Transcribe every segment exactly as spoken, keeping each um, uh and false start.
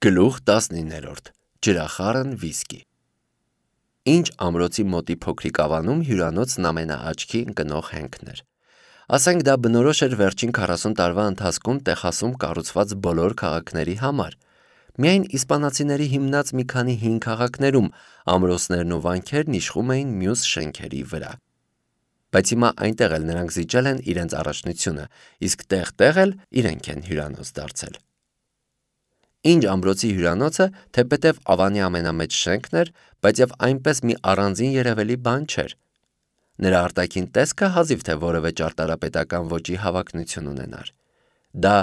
Գլուխ տասնիններորդ Ջրախառն վիսկի Ինչ ամրոցի մոտի փոքրիկ ավանում հյուրանոցն ամենաաչքի ընկնող հենքն էր։ Ասենք դա բնորոշ էր վերջին քառասուն տարվա ընթացքում Տեխասում կառուցված բոլոր քաղաքների համար։ Միայն իսպանացիների հիմնած մի քանի հին քաղաքներում ամրոցներն ու վանքերն իշխում էին մյուս շենքերի վրա։ Բայց հիմա այնտեղ էլ նրանք զիջել են իրենց առաջնությունը, իսկ տեղ-տեղ էլ իրենք են հյուրանոց դարձել։ Ինչ ամրոցի հյուրանոցը, թեպետև ավանի ամենամեծ շենքն էր, բայց եւ այնպես մի առանձին երևելի բան չէր։ Նրա արտաքին տեսքը հազիվ թե որևէ ճարտարապետական ոճի հավակնություն ունենար։ Դա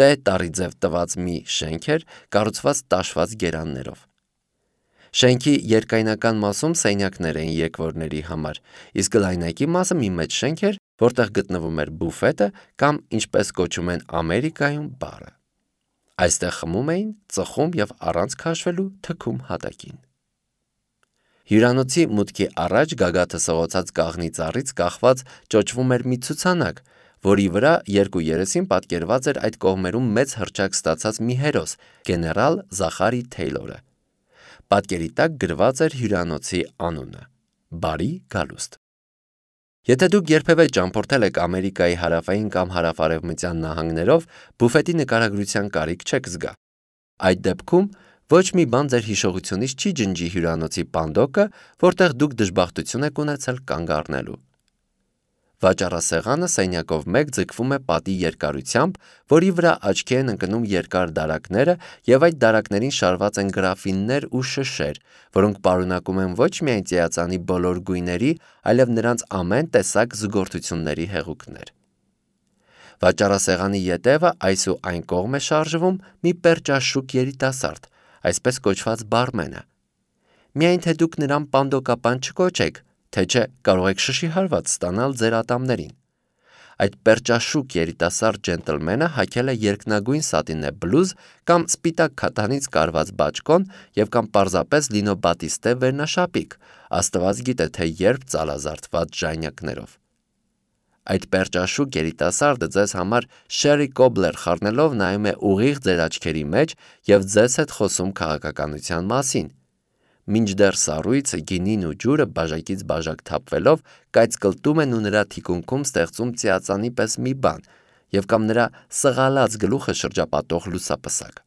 տե տարի ձև տված մի շենք էր, կառուցված տաշված գերաններով։ Շենքի երկայնական մասում սենյակներ էին եկվորների համար, իսկ լայնակի մասը մի մեծ շենք էր, որտեղ գտնվում էր բուֆետը կամ ինչպես կոչում են Ամերիկայում բարը։ Այստեղ խմում էին, ծխում եւ առանց քաշվելու թքում հատակին։ Հյուրանոցի մուտքի առաջ գագաթը սղոցած կաղնի ծառից կախված ճոճվում էր մի ցուցանակ, որի վրա երկու երեսին պատկերված էր այդ կողմերում մեծ հռչակ ստացած մի հերոս՝ գեներալ Զախարի Թեյլորը։ Պատկերի տակ գրված էր հյուրանոցի անունը՝ Բարի գալուստ։ Եթե դուք երբևէ ճամփորդել եք Ամերիկայի հարավային կամ հարավ-արևմտյան նահանգներով, բուֆետի նկարագրության կարիք չեք զգա։ Այդ դեպքում ոչ մի բան ձեր հիշողությունից չի ջնջի հյուրանոցի պանդոկը, որտեղ դուք դժբախտություն եք ունեցել կանգ առնելու։ Վաճառասեղանը սենյակով մեկ ձգվում է պատի երկարությամբ, որի վրա աչքի են ընկնում երկար դարակները եւ այդ դարակներին շարված են գրաֆիններ ու շշեր, որոնք պարունակում են ոչ միայն ծիածանի բոլոր գույների, այլև նրանց ամեն տեսակ զուգորդությունների հեղուկներ։ Վաճառասեղանի ետևը այս ու այն կողմ է շարժվում մի պերճաշուկ երիտասարդ, այսպես կոչված բարմենը։ Միայն թե դուք նրան պանդոկապան չկոչեք, թե չէ կարող եք շշի հարված ստանալ ձեր ատամներին։ Այդ պերճաշուկ երիտասարդ ջենտլմենը հագել է երկնագույն սատինե բլուզ կամ սպիտակ քաթանից կարված բաճկոն եւ կամ պարզապես լինո բատիստե վերնաշապիկ, աստված գիտե թե երբ ծալազարդված ժանյակներով։ Այդ պերճաշուկ երիտասարդը ձեզ համար Շերի Կոբլեր խառնելով նայում է ուղիղ ձեր աչքերի մեջ եւ ձեզ հետ խոսում քաղաքականության մասին։ Մինչդեռ սառույցը, գինին ու ջուրը բաժակից բաժակ թափվելով կայծկլտում են ու նրա թիկունքում ստեղծում ծիածանի պես մի բան, եւ կամ նրա սղալած գլուխը շրջապատող լուսապսակ։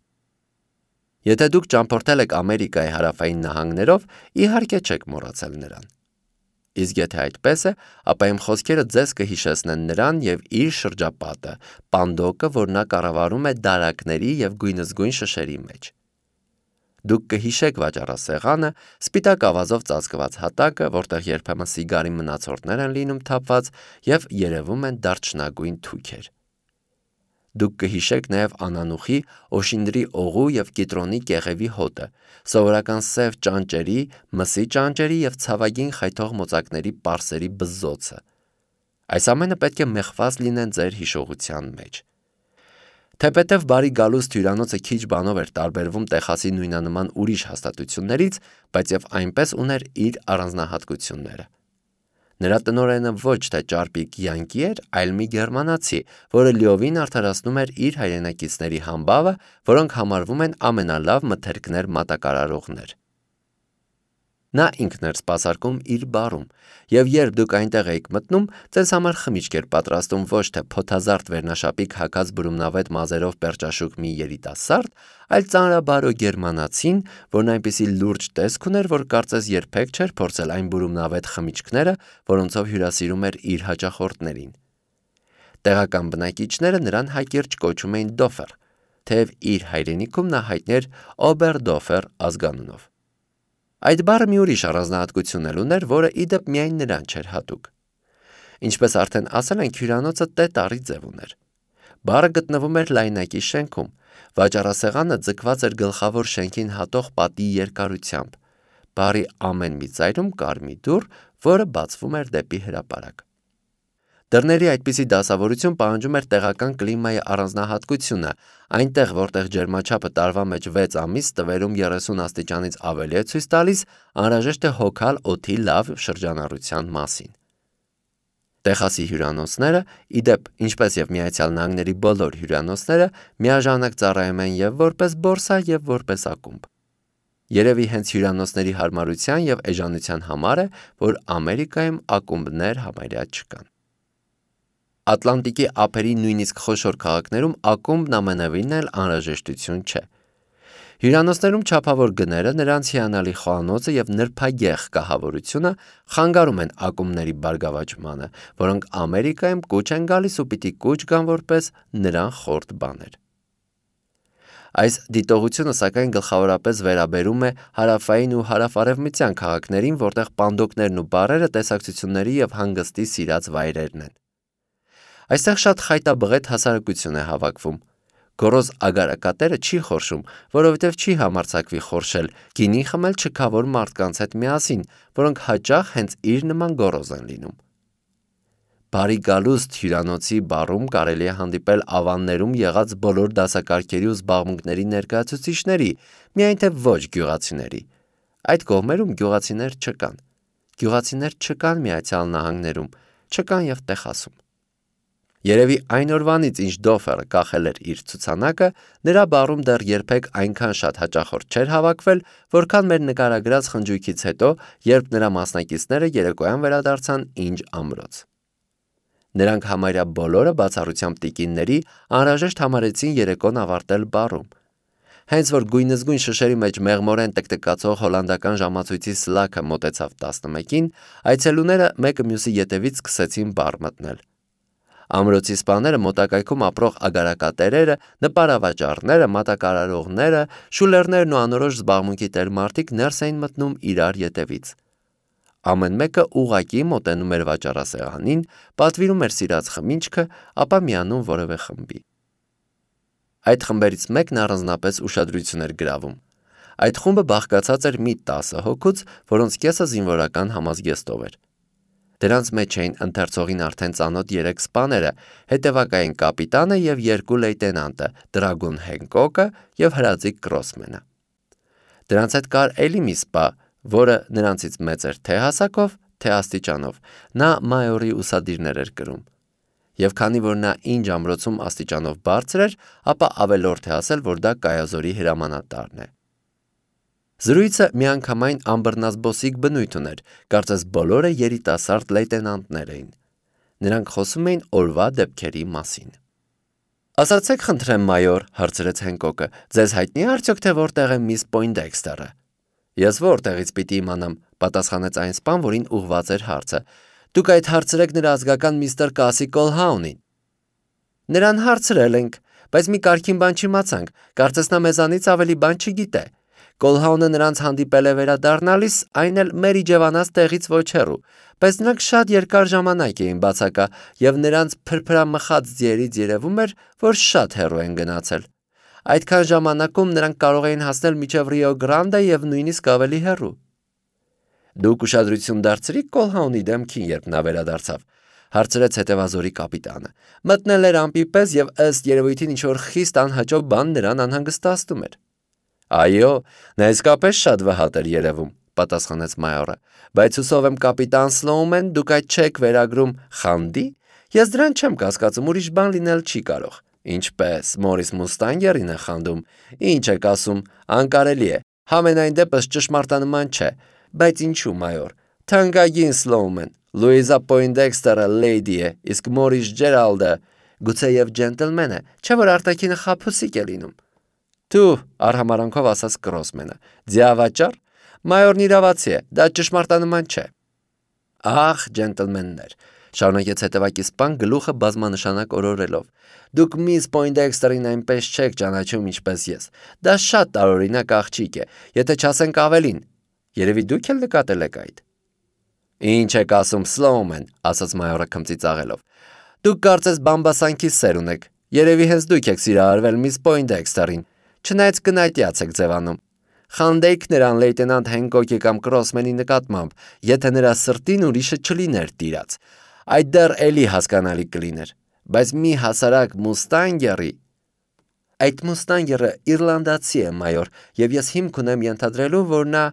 Եթե դուք ճամփորդել եք Ամերիկայի հարավային նահանգներով, իհարկե չեք մոռացել նրան։ Իսկ եթե այդպես է, ապա իմ խոսքերը ձեզ կհիշեցնեն նրան եւ իր շրջապատը, պանդոկը, որ նա կառավարում է դարակների եւ գույնզգույն շշերի մեջ։ Դուք կհիշեք վաճառասեղանը, սպիտակ ավազով ծածկված հատակը, որտեղ երբեմն սիգարի մնացորդներ են լինում թափված եւ երևում են դարչնագույն թուքեր։ Դուք կհիշեք նաեւ անանուխի, օշինդրի օղու եւ կիտրոնի կեղևի հոտը, սովորական սև ճանճերի, մսի ճանճերի եւ ցավագին խայթող մոծակների պարսերի բզզոցը։ Այս ամենը պետք է մեխված լինեն ձեր հիշողության մեջ։ Թեպետև Բարի գալուստ հյուրանոցը քիչ բանով էր տարբերվում Տեխասի նույնանման ուրիշ հաստատություններից, բայց եւ այնպես ուներ իր առանձնահատկությունները։ Նրա տնօրենը ոչ թե ճարպիկ յանկի էր, այլ մի գերմանացի, որը լիովին արդարացնում էր իր հայրենակիցների համբավը, որոնք համարվում են ամենալավ մթերքներ մատակարարողներ։ Նա ինքն էր սպասարկում իր բարում, եւ երբ դուք այնտեղ եք մտնում, ձեզ համար խմիչք էր պատրաստում ոչ թե փոթազարդ վերնաշապիկ հագած բրումնավետ մազերով պերճաշուկ մի երիտասարդ, այլ ծանրաբարո գերմանացին, որն այնպիսի լուրջ տեսք ուներ, որ կարծես երբեք չէր փորձել այն բրումնավետ խմիչքները, որոնցով հյուրասիրում էր իր հաճախորդներին։ Տեղական բնակիչները նրան հակիրճ կոչում էին Դոֆեր, թեև իր հայրենիքում նա հայտնի էր Օբերդոֆեր ազգանունով։ Այդ բառը մի ուրիշ առանձնահատկություն էլ ուներ, որը ի դեպ միայն նրան չէր հատուկ։ Ինչպես արդեն ասել ենք, հյուրանոցը տե տարի ձև ուներ։ Բառը գտնվում էր լայնակի շենքում, վաճառասեղանը ձգված էր գլխավոր շենքին հատող պատի երկարությամբ։ Բառի ամեն մի ծայրում կար մի դուռ, որը բացվում էր դեպի հրապարակ։ Դռների այդպիսի դասավորություն պահանջում էր տեղական կլիմայի առանձնահատկությունը, այնտեղ որտեղ ջերմաչափը տարվա մեջ վեց ամիս տվերում երեսուն աստիճանից ավելի է ցույց տալիս, անհրաժեշտ է հոգալ օդի լավ շրջանառության մասին։ Տեխասի հյուրանոցները, իդեպ, ինչպես եւ Միացյալ Նահանգների բոլոր հյուրանոցները, միաժամանակ ծառայում են եւ որպես բորսա եւ որպես ակումբ։ Երևի հենց հյուրանոցների հարմարության եւ էժանության համար է, որ Ամերիկայում ակումբներ համարյա չկան։ Ատլանտիկի ափերի նույնիսկ խոշոր քաղաքներում ակումբն ամենևին էլ անհրաժեշտություն չէ։ Հյուրանոցներում չափավոր գները, նրանց հիանալի խոհանոցը եւ նրբագեղ կահավորությունը խանգարում են ակումբների բարգավաճմանը, որոնք Ամերիկայում կուչ են գալիս ու պիտի կուչ գան որպես նրան խորտ բաներ։ Այս դիտողությունը սակայն գլխավորապես վերաբերում է հարավային ու հարավարևմտյան քաղաքներին, որտեղ պանդոկներն ու բարերը տեսակցությունների եւ հանգստի սիրած վայրերն են։ Այստեղ շատ խայտաբղետ հասարակություն է հավաքվում։ Գոռոզ ագարակատերը չի խորշում, որովհետև չի համարձակվի խորշել, գինի խմել չքավոր մարդկանց հետ միասին, որոնք հաճախ հենց իր նման գոռոզ են լինում։ Բարի գալուստ հյուրանոցի բառում կարելի է հանդիպել ավաններում եղած բոլոր դասակարգերի ու զբաղմունքների ներկայացուցիչների, միայն թե ոչ գյուղացիների։ Այդ կողմերում գյուղացիներ չկան։ Գյուղացիներ չկան Միացյալ Նահանգներում, չկան եւ Տեխասում։ Երևի այն օրվանից, ինչ Դոֆերը կախել էր իր ցուցանակը, նրա բառում դեռ երբեք այնքան շատ հաճախորդ չէր հավաքվել, որքան մեր նկարագրած խնջույքից հետո, երբ նրա մասնակիցները երեկոյան վերադարձան Ինջ ամրոց։ Նրանք համարյա բոլորը բացառությամբ տիկինների անհրաժեշտ համարեցին երեկոն ավարտել բառում։ Հենց որ գույնզգույն շշերի մեջ մեղմորեն տկտկացող հոլանդական ժամացույցի սլաքը մոտեցավ տասնմեկին, այցելուները մեկը մյուսի ետևից սկսեցին բառ մտնել։ Ամրոցի սպաները, մոտակայքում ապրող ագարակատերերը, նպարավաճառները, մատակարարողները, շուլերներն ու անորոշ զբաղմունքի տեր մարդիկ ներս էին մտնում իրար ետևից։ Ամեն մեկը ուղղակի մոտենում էր վաճառասեղանին, պատվիրում էր սիրած խմիչքը, ապա միանում որևէ խմբի։ Այդ խմբերից մեկն առանձնապես ուշադրություն էր գրավում։ Այդ խումբը բաղկացած էր մի տասը հոգուց, որոնց կեսը զինվորական համազգեստով էր։ Դրանց մեջ էին ընթերցողին արդեն ծանոթ երեք սպաները, հետևակային կապիտանը եւ երկու լեյտենանտը, դրագուն Հենկոկը եւ հրաձիկ Կրոսմենը։ Դրանց հետ կար էլի մի սպա, որը նրանցից մեծ էր թե հասակով, թե աստիճանով, նա մայորի ուսադիրներ էր կրում։ Եվ քանի որ նա Ինջ ամրոցում աստիճանով բարձր էր, ապա ավելորդ է ասել, որ դա Կայազորի հրամանատարն է։ Զրույցը միանգամայն ամբռնազբոսիկ բնույթ ուներ, կարծես բոլորը երիտասարդ լեյտենանտներ էին։ Նրանք խոսում էին օրվա դեպքերի մասին։ Ասացեք խնդրեմ, մայոր, հարցրեց Հենկոկը, ձեզ հայտնի է արդյոք թե որտեղ է միս Պոյնդեքստերը։ Ես որտեղից պիտի իմանամ, պատասխանեց այն սպան, որին ուղված էր հարցը։ Դուք այդ հարցրեք նրա ազգական միստր Կասի Կոլհաունին։ Նրան հարցրել ենք, բայց մի կարգին բան չիմացանք, կարծես նա մեզանից ավելի բան չգիտե։ Կոլհաունը նրանց հանդիպել է վերադառնալիս, այն էլ մեր իջևանած տեղից ոչ հեռու, բայց նրանք շատ երկար ժամանակ էին բացակա եւ նրանց փրփրամխած ձիերից երևում էր, որ շատ հեռու են գնացել։ Այդքան ժամանակում նրանք կարող էին հասնել մինչև Ռիո Գրանդե եւ նույնիսկ ավելի հեռու։ Դուք ուշադրություն դարձրիք Կոլհաունի դեմքին, երբ նա վերադարձավ, հարցրեց հետևազորի կապիտանը։ Մտնել էր ամպի պես եւ ըստ երևույթին ինչ-որ խիստ անհաջող բան նրան անհանգստացնում էր։ Այո, նա իսկապես շատ վհատ էր երևում, պատասխանեց մայորը, բայց հուսով եմ կապիտան Սլոումեն, դուք այդ չեք վերագրում խանդի։ Ես դրան չեմ կասկածում, ուրիշ բան լինել չի կարող։ Ինչպես Մորիս Մուստանգերին է խանդում։ Ինչ եք ասում, անկարելի է։ Համենայն դեպս ճշմարտանման չէ, բայց ինչու, մայոր։ Թանկագին Սլոումեն, Լուիզա Պոյնդեքստերը լեյդի է, իսկ Մորիս Ջերալդը գուցեև ջենտլմեն է, չէ՞ որ արտաքինը խաբուսիկ է լինում։ Դու, արհամարանքով ասաց Կրոսմենը, ձիավաճառ, մայորն իրավացի է, դա ճշմարտանման չէ։ Ախ, ջենտլմեններ, շարունակեց հետևակի սպան գլուխը բազմանշանակ օրորելով։ Դուք միս Պոյնդեքստերին այնպես չեք ճանաչում ինչպես ես։ Դա շատ տարօրինակ աղջիկ է, եթե չասենք ավելին։ Երևի դուք էլ նկատել եք այդ։ Ինչ եք ասում, Սլոումեն, ասաց մայորը քմծի ծաղելով։ Դուք կարծես բամբասանքի սեր ունեք։ Երևի հենց դուք եք սիրահարվել միս Պոյնդեքստերին։ Չնայած կնայտյաց եք ձևանում։ Խանդեիք նրան լեյտենանտ Հենկոկի կամ Կրոսմենի նկատմամբ, եթե նրա սրտին ուրիշը չլիներ տիրած։ Այդ դեռ էլի հասկանալի կլիներ։ Բայց մի հասարակ Մուստանգերի։ Այդ Մուստանգերը իռլանդացի է, մայոր, եւ ես հիմք ունեմ ենթադրելու, որ նա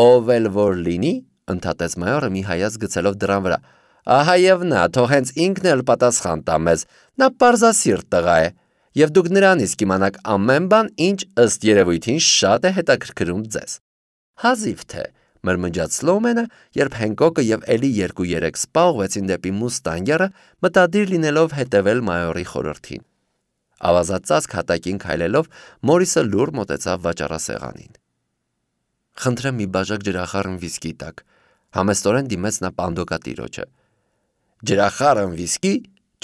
ով էլ որ լինի, ընդհատեց մայորը մի հայաց գցելով դրան վրա, Ահա եւ նա, թող հենց ինքն էլ պատասխան տա մեզ, նա պարզասիրտ տղա է, եւ դուք նրանից կիմանաք ամեն բան, ինչ ըստ երևույթին շատ է հետաքրքրում ձեզ։ Հազիվ թե, մրմնջաց Սլոումենը, երբ Հենկոկը եւ էլի երկու-երեք սպա ուղղեցին դեպի Մուստանգերը, մտադիր լինելով հետևել մայորի խորհրդին։ Ավազածածկ հատակին քայլելով, Մորիսը լուռ մոտեցավ վաճառասեղանին։ Խնդրեմ մի բաժակ ջրախառն վիսկի տաք, համեստորեն դիմեց նա պանդոկատիրոջը։ Ջրախառն վիսկի,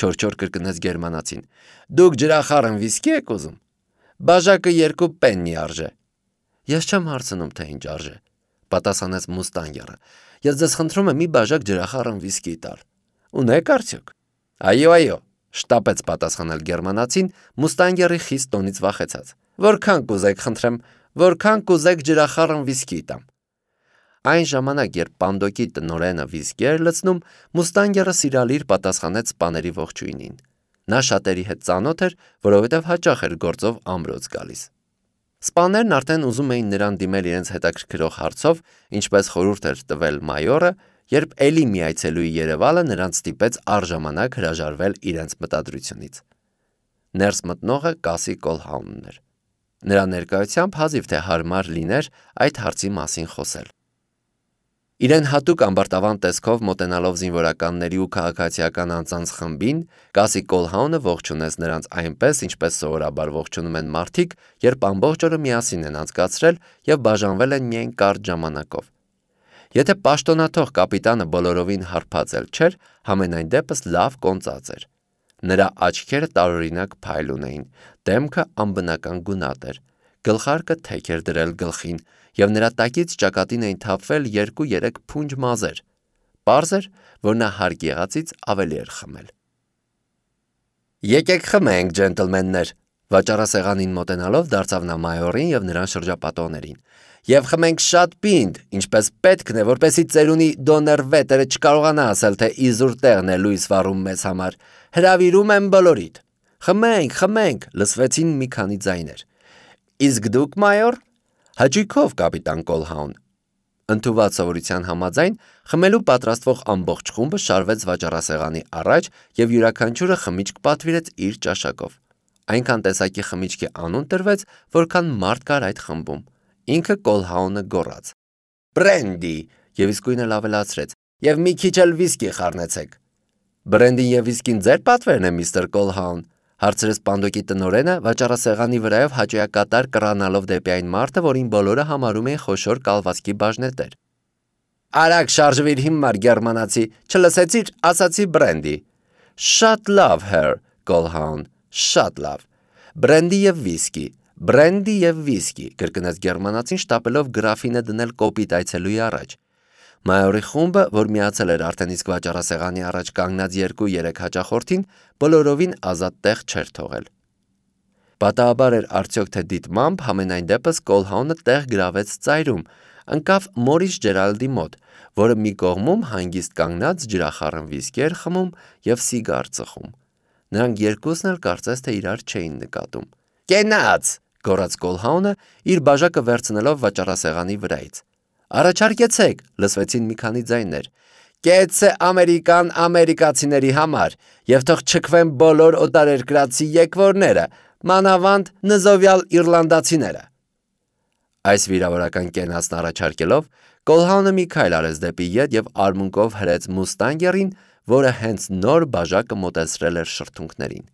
չոր-չոր կրկնեց գերմանացին։ Դուք ջրախառն վիսկի եք ուզում։ Բաժակը երկու պեննի արժե։ Ես չեմ հարցնում, թե ինչ արժե, պատասխանեց Մուստանգերը։ Ես ձեզ խնդրում եմ մի բաժակ ջրախառն վիսկի տալ։ Ունեք արդյոք։ Այո, այո, շտապեց պատասխանել գերմանացին, Մուստանգերի խիստ տոնից վախեցած։ Որքան կուզեք, խնդրեմ, որքան կուզեք ջրախառն վիսկի տամ։ Այն ժամանակ, երբ պանդոկի տնօրենը վիսկի էր լցնում, Մուստանգերը սիրալիր պատասխանեց սպաների ողջույնին։ Նա շատերի հետ ծանոթ էր, որովհետև հաճախ էր գործով ամրոց գալիս։ Սպաներն արդեն ուզում էին նրան դիմել իրենց հետաքրքրող հարցով, ինչպես խորհուրդ էր տվել մայորը, երբ էլի մի այցելուի երևալը նրանց ստիպեց առժամանակ հրաժարվել իրենց մտադրությունից։ Ներս մտնողը Կասի Կոլհաունն էր։ Նրա ներկայությամբ հազիվ թե հարմար լիներ այդ հարցի մասին խոսել։ Իրեն հատուկ ամբարտավան տեսքով մոտենալով զինվորականների ու քաղաքացիական անձանց խմբին, Կասի Կոլհաունը ողջունեց նրանց այնպես, ինչպես սովորաբար ողջունում են մարդիկ, երբ ամբողջ օրը միասին են անցկացրել եւ բաժանվել են միայն կարճ ժամանակով։ Եթե պաշտոնաթող կապիտանը բոլորովին հարբած էլ չէր, համենայն դեպս լավ կոնծած էր։ Նրա աչքերը տարօրինակ փայլ ունեին, դեմքը անբնական գունատ էր, գլխարկը թեք էր դրել գլխին, եւ նրա տակից ճակատին էին թափվել երկու-երեք փունջ մազեր։ Պարզ էր, որ նա հարկ եղածից ավելի էր խմել։ Եկեք խմենք, ջենտլմեններ, վաճառասեղանին մոտենալով դարձավ նա մայորին եւ նրան շրջապատողներին։ Եվ խմենք շատ պինդ, ինչպես պետքն է, որպեսզի ծերունի Դոններ Վետերը չկարողանա ասել, թե իզուր տեղն է լույս վառում մեզ համար։ Հրավիրում եմ բոլորիդ։ Խմենք, խմենք, լսվեցին մի քանի ձայներ։ Իսկ դուք, մայոր։ Հաճույքով, կապիտան Կոլհաուն։ Ընդունված սովորության համաձայն խմելու պատրաստվող ամբողջ խումբը շարվեց վաճառասեղանի առաջ եւ յուրաքանչյուրը խմիչք պատվիրեց իր ճաշակով։ Այնքան տեսակի խմիչքի անուն տրվեց, որքան մարդ կար այդ խմբում։ Ինքը Կոլհաունը գոռաց. Բրենդի, եւ իսկույն էլ ավելացրեց. Եվ մի քիչ էլ վիսկի խառնեցեք։ Բրենդին եւ վիսկին ձեր պատվերն է, միստր Կոլհաուն, հարցրեց պանդոկի տնօրենը, վաճառասեղանի վրայով հաճոյակատար կռանալով դեպի այն մարդը, որին բոլորը համարում էին խոշոր կալվածքի բաժնետեր։ Արագ շարժվիր հիմար գերմանացի, չլսեցիր, ասացի բրենդի։ Շատ լավ, հեր Կոլհաուն, շատ լավ։ Բրենդի եւ վիսկի, բրենդի եւ վիսկի, կրկնեց գերմանացին, շտապելով գրաֆինը դնել կոպիտ այցելուի առաջ։ Մայորի խումբը, որ միացել էր արդեն իսկ վաճառասեղանի առաջ կանգնած երկու-երեք հաճախորդին, բոլորովին ազատ տեղ չէր թողել։ Պատահաբար էր արդյոք թե դիտմամբ, համենայն դեպս Կոլհաունը տեղ գրավեց ծայրում, ընկավ Մորիս Ջերալդի մոտ, որը մի կողմում հանգիստ կանգնած ջրախառն վիսկի էր խմում եւ սիգար ծխում։ Նրանք երկուսն էլ կարծես թե իրար չէին նկատում։ Կենաց, գոռաց Կոլհաունը, իր բաժակը վերցնելով վաճառասեղանի վրայից։ Առաջարկեցեք, լսվեցին մի քանի ձայներ։ Կեցե ամերիկան ամերիկացիների համար եւ թող չքվեն բոլոր օտարերկրացի եկվորները, մանավանդ նզովյալ իռլանդացիները։ Այս վիրավորական կենացն առաջարկելով, Կոլհաունը մի քայլ արեց դեպի ետ եւ արմունկով հրեց Մուստանգերին, որը հենց նոր բաժակը մոտեցրել էր շրթունքներին։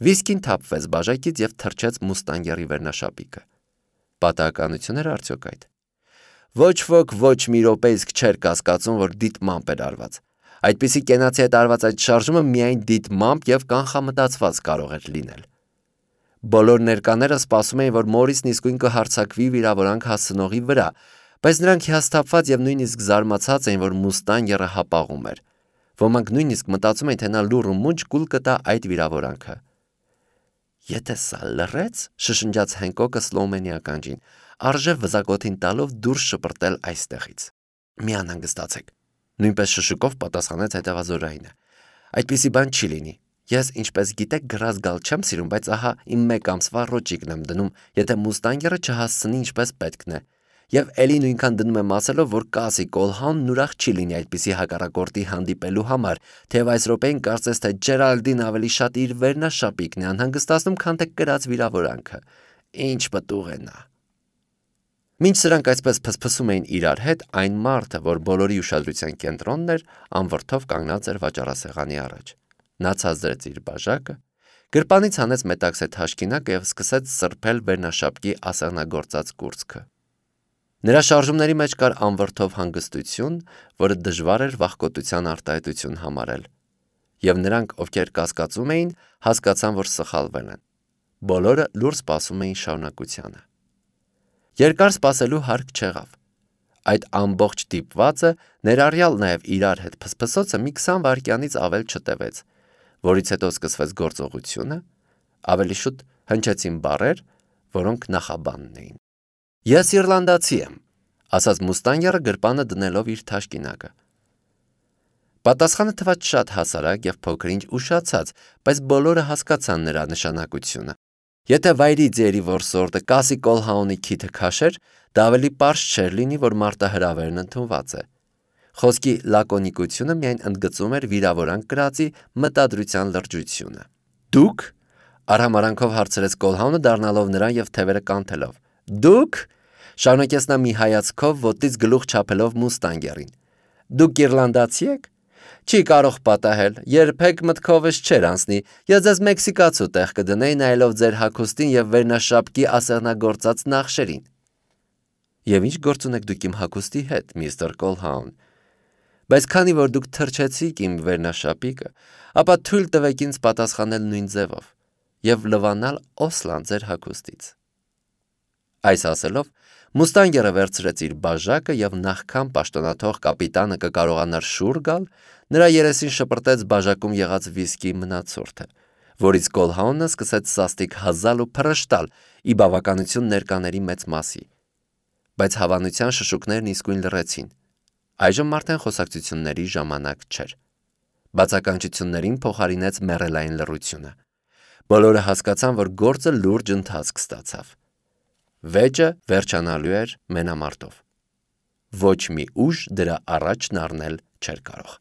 Վիսկին թափվեց բաժակից եւ թռչեց Մուստանգերի վերնաշապիկը։ Պատահականություն էր արդյոք այդ։ Ոչ ոք ոչ մի րոպե իսկ չէր կասկածում, որ դիտմամբ էր արված։ Այդպիսի կենացի հետ արված այդ շարժումը միայն դիտմամբ եւ կանխամտածված կարող էր լինել։ Բոլոր ներկաները սպասում էին, որ Մորիսն իսկույն կհարձակվի վիրավորանք հասցնողի վրա, բայց նրանք հիասթափված եւ նույնիսկ զարմացած էին, որ Մուստանգերը հապաղում էր։ Ոմանք նույնիսկ մտածում էին, թե նա լուռ ու մունջ կուլ կտա այդ վիրավորանքը։ Եթե սա լռեց, շշնջաց Հենկոկը Սլոումենի ականջին, արժե վզակոթին տալով դուրս շպրտել այստեղից։ Մի անհանգստացեք, նույնպես շշուկով պատասխանեց հետևազորայինը։ Այդպիսի բան չի լինի։ Ես, ինչպես գիտեք, գրած գալ չեմ սիրում, բայց ահա իմ մեկ ամսվա ռոճիկն եմ դնում, եթե Մուստանգերը չհասցնի ինչպես պետքն է։ Եվ էլի նույնքան դնում եմ ասելով, որ կասի Կոլհաունն ուրախ չի լինի այդպիսի հակառակորդի հանդիպելու համար, թեև այս րոպեին կարծես թե Ջերալդին ավելի շատ իր վերնաշապիկն է անհանգստացնում, քան թե կրած վիրավորանքը։ Ինչ պտուղ է նա։ Մինչ սրանք այսպես փսփսում էին իրար հետ, այն մարդը, որ բոլորի ուշադրության կենտրոնն էր, անվրդով կանգնած էր վաճառասեղանի առաջ։ Նա ցածրեց իր բաժակը, գրպանից հանեց մետաքսե թաշկինակը եւ սկսեց սրբել վերնաշապկի ասեղնագործած կուրծքը։ Նրա շարժումների մեջ կար անվրդով հանգստություն, որը դժվար էր վախկոտության արտահայտություն համարել, եւ նրանք, ովքեր կասկածում էին, հասկացան, որ սխալվել են։ Բոլորը լուր սպասում էին շարունակությանը։ Երկար սպասելու հարկ չեղավ։ Այդ ամբողջ դիպվածը, ներառյալ նաեւ իրար հետ փսփսոցը մի քսան վայրկյանից ավել չտևեց, որից հետո սկսվեց գործողությունը, ավելի շուտ հնչեցին բառեր, որոնք նախաբանն էին։ Ես իռլանդացի եմ, ասաց Մուստանգերը գրպանը դնելով իր թաշկինակը։ Պատասխանը թվաց շատ հասարակ եւ փոքրինչ ուշացած, բայց բոլորը հասկացան նրա նշանակությունը։ Եթե վայրի ձերի որսորդը կասի Կոլհաունի քիթը քաշեր, դա ավելի պարզ չէր լինի, որ մարտահրավերն ընդունված է։ Խոսքի լակոնիկությունը միայն ընդգծում էր վիրավորանք կրածի մտադրության լրջությունը։ Դուք արհամարանքով հարցրեց Կոլհաունը դառնալով նրան եւ թևերը կանթելով։ Դուք շարունակեց նա մի հայացքով ոտից գլուխ չափելով Մուստանգերին։ Դուք իռլանդացի եք։ Չի կարող պատահել, երբեք մտքովս չէր անցնի, ես ձեզ մեքսիկացու տեղ կդնեի նայելով ձեր հագուստին եւ վերնաշապկի ասեղնագործած նախշերին։ Եվ ինչ գործ ունեք դուք իմ հագուստի հետ, միստր Կոլհաուն։ Բայց քանի որ դուք թրջեցիք իմ վերնաշապիկը, ապա թույլ տվեք ինձ պատասխանել նույն ձևով եւ լվանալ Օսլան ձեր հագուստից։ Այս ասելով Մուստանգերը վերցրեց իր բաժակը եւ նախքան պաշտոնաթող կապիտանը կկարողանար շուռ գալ, նրա երեսին շպրտեց բաժակում եղած վիսկի մնացորդը, որից Կոլհաունը սկսեց սաստիկ հազալ ու փռշտալ ի բավականություն ներկաների մեծ մասի։ Բայց հավանության շշուկներն իսկույն լռեցին։ Այժմ արդեն խոսակցությունների ժամանակ չէր։ Բացականչություններին փոխարինեց մեռելային լռությունը։ Բոլորը հասկացան, որ գործը լուրջ ընթացք ստացավ։ Վեճը վերջանալու էր մենամարտով։ Ոչ մի ուժ դրա առաջն առնել չէր կարող։